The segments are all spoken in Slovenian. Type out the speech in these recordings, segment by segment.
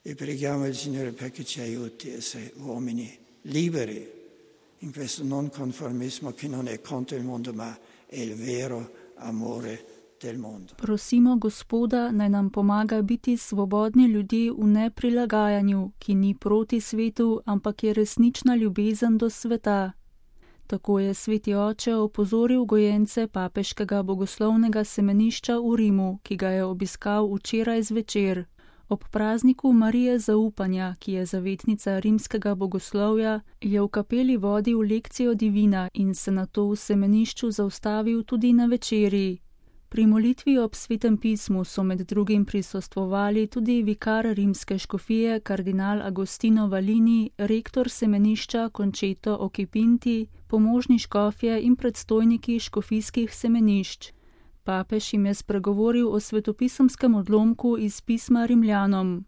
E preghiamo il Signore perché ci aiuti a essere uomini liberi in questo non conformismo che non è contro il mondo, ma è il vero amore del mondo. Prosimo Gospoda, naj nam pomaga biti svobodni ljudje v neprilagajanju, ki ni proti svetu, ampak je resnična ljubezen do sveta. Tako je sveti oče opozoril gojence papeškega bogoslovnega semenišča v Rimu, ki ga je obiskal včeraj zvečer. Ob prazniku Marije zaupanja, ki je zavetnica rimskega bogoslovja, je v kapeli vodil lekcijo divina in se nato v semenišču zaustavil tudi na večerji. Pri molitvi ob svetem pismu so med drugim prisostvovali tudi vikar rimske škofije kardinal Agostino Valini, rektor semenišča Conceto Occhipinti, pomožni škofje in predstojniki škofijskih semenišč. Papež jim je spregovoril o svetopisemskem odlomku iz pisma Rimljanom.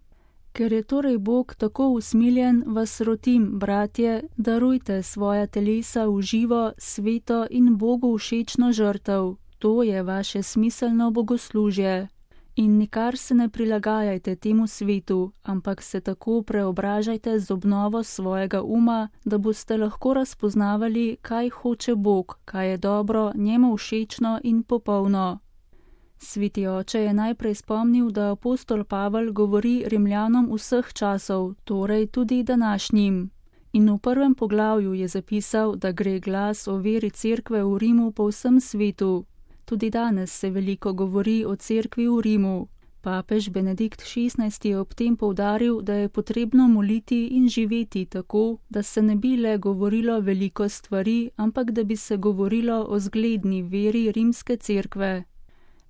Ker je torej Bog tako usmiljen, vas rotim, bratje, darujte svoja telesa v živo, sveto in Bogu všečno žrtev. To je vaše smiselno bogoslužje. In nikar se ne prilagajajte temu svetu, ampak se tako preobražajte z obnovo svojega uma, da boste lahko razpoznavali, kaj hoče Bog, kaj je dobro, njemu všečno in popolno. Sveti oče je najprej spomnil, da apostol Pavel govori Rimljanom vseh časov, torej tudi današnjim. In v prvem poglavju je zapisal, da gre glas o veri cerkve v Rimu po vsem svetu. Tudi danes se veliko govori o cerkvi v Rimu. Papež Benedikt XVI je ob tem poudaril, da je potrebno moliti in živeti tako, da se ne bi le govorilo veliko stvari, ampak da bi se govorilo o zgledni veri rimske cerkve.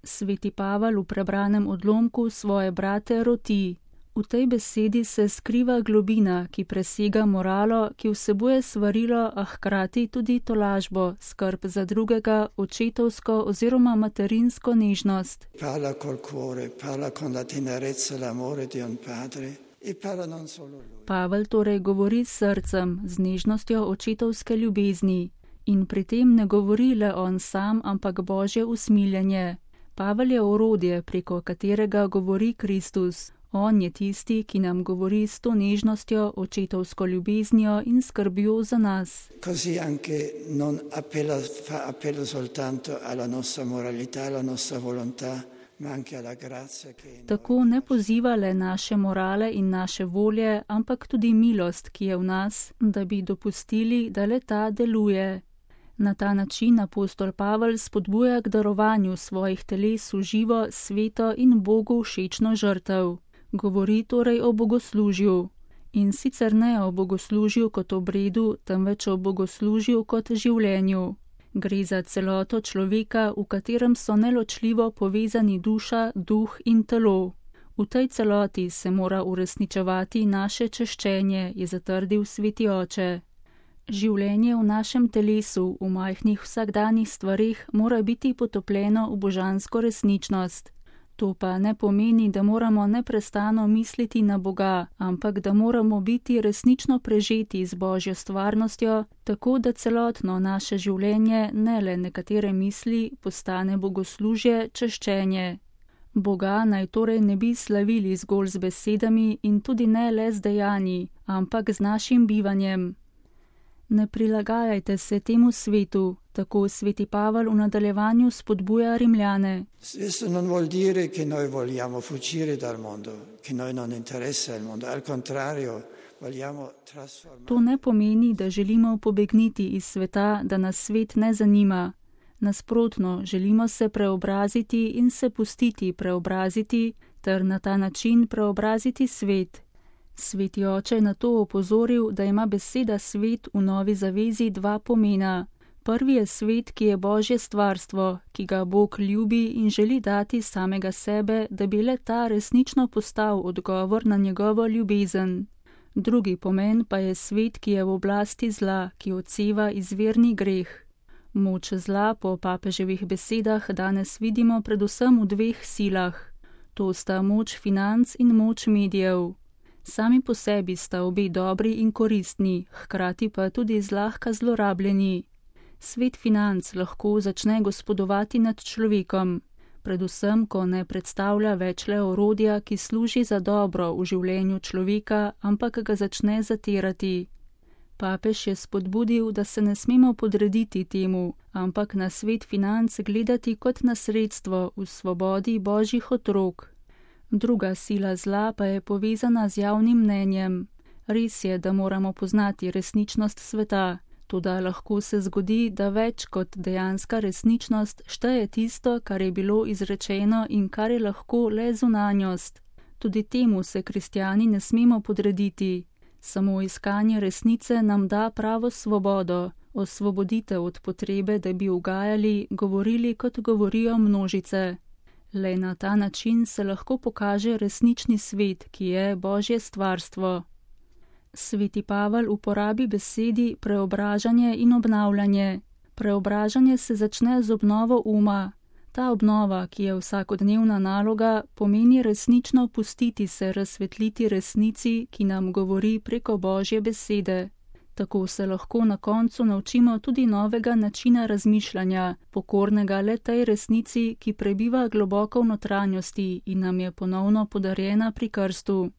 Sveti Pavel v prebranem odlomku svoje brate roti. V tej besedi se skriva globina, ki presega moralo, ki vsebuje svarilo, a hkrati tudi tolažbo, skrb za drugega, očetovsko oziroma materinsko nežnost. Parla col cuore, parla con la tenerezza, l'amore di un padre e parla non solo lui. Pavel torej govori s srcem, z nežnostjo očetovske ljubezni. In pri tem ne govori le on sam, ampak Božje usmiljenje. Pavel je orodje, preko katerega govori Kristus. On je tisti, ki nam govori s to nežnostjo, očetovsko ljubeznijo in skrbjo za nas. Così anche non fa appello soltanto alla nostra moralità, alla nostra volontà, ma anche alla grazia che Tako ne poziva le naše morale in naše volje, ampak tudi milost, ki je v nas, da bi dopustili, da le ta deluje. Na ta način apostol Pavel spodbuja k darovanju svojih teles v živo, sveto in Bogu všečno žrtev. Govori torej o bogoslužju. In sicer ne o bogoslužju kot obredu, temveč o bogoslužju kot življenju. Gre za celoto človeka, v katerem so neločljivo povezani duša, duh in telo. V tej celoti se mora uresničevati naše češčenje, je zatrdil sveti oče. Življenje v našem telesu, v majhnih vsakdanjih stvareh, mora biti potopljeno v božansko resničnost. To pa ne pomeni, da moramo neprestano misliti na Boga, ampak da moramo biti resnično prežeti z Božjo stvarnostjo, tako da celotno naše življenje, ne le nekatere misli, postane bogoslužje, češčenje. Boga naj torej ne bi slavili zgolj z besedami in tudi ne le z dejanji, ampak z našim bivanjem. Ne prilagajajte se temu svetu, tako sveti Pavel v nadaljevanju spodbuja Rimljane. Questo non vuol dire che noi vogliamo fuggire dal mondo, che noi non interessa il mondo, al contrario, vogliamo trasformare. To ne pomeni, da želimo pobegniti iz sveta, da nas svet ne zanima. Nasprotno, želimo se preobraziti in se pustiti preobraziti, ter na ta način preobraziti svet. Sveti oče je na to opozoril, da ima beseda svet v novi zavezi dva pomena. Prvi je svet, ki je Božje stvarstvo, ki ga Bog ljubi in želi dati samega sebe, da bi le ta resnično postal odgovor na njegovo ljubezen. Drugi pomen pa je svet, ki je v oblasti zla, ki odseva izvirni greh. Moč zla po papeževih besedah danes vidimo predvsem v dveh silah. To sta moč financ in moč medijev. Sami po sebi sta obe dobri in koristni, hkrati pa tudi zlahka zlorabljeni. Svet financ lahko začne gospodovati nad človekom. predvsem, ko ne predstavlja več le orodja, ki služi za dobro v življenju človeka, ampak ga začne zatirati. Papež je spodbudil, da se ne smemo podrediti temu, ampak na svet financ gledati kot na sredstvo v svobodi božjih otrok. Druga sila zla pa je povezana z javnim mnenjem. Res je, da moramo poznati resničnost sveta, toda lahko se zgodi, da več kot dejanska resničnost šteje tisto, kar je bilo izrečeno in kar je lahko le zunanjost. Tudi temu se kristjani ne smemo podrediti. Samo iskanje resnice nam da pravo svobodo, osvoboditev od potrebe, da bi ugajali, govorili, kot govorijo množice. Le na ta način se lahko pokaže resnični svet, ki je Božje stvarstvo. Sveti Pavel uporabi besedi preobražanje in obnavljanje. Preobražanje se začne z obnovo uma. Ta obnova, ki je vsakodnevna naloga, pomeni resnično pustiti se razsvetliti resnici, ki nam govori preko Božje besede. Tako se lahko na koncu naučimo tudi novega načina razmišljanja, pokornega le tej resnici, ki prebiva globoko v notranjosti in nam je ponovno podarjena pri krstu.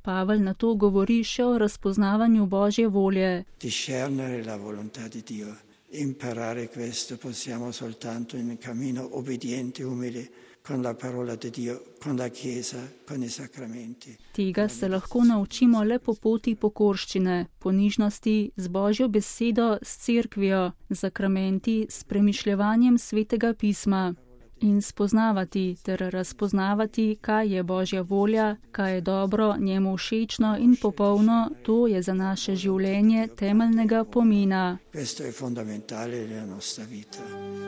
Pavel na to govori še o razpoznavanju Božje volje. Discernere la volontà di Dio. Imparare questo possiamo soltanto in cammino obbediente, umile, con la parola di Dio, con la Chiesa, con i sacramenti. Tega se lahko naučimo le po poti pokorščine, ponižnosti, z Božjo besedo, s cerkvijo, z sakramenti, s premišljevanjem svetega pisma. In spoznavati ter razpoznavati, kaj je Božja volja, kaj je dobro, njemu všečno in popolno, to je za naše življenje temeljnega pomena. Questo è fondamentale nella nostra vita.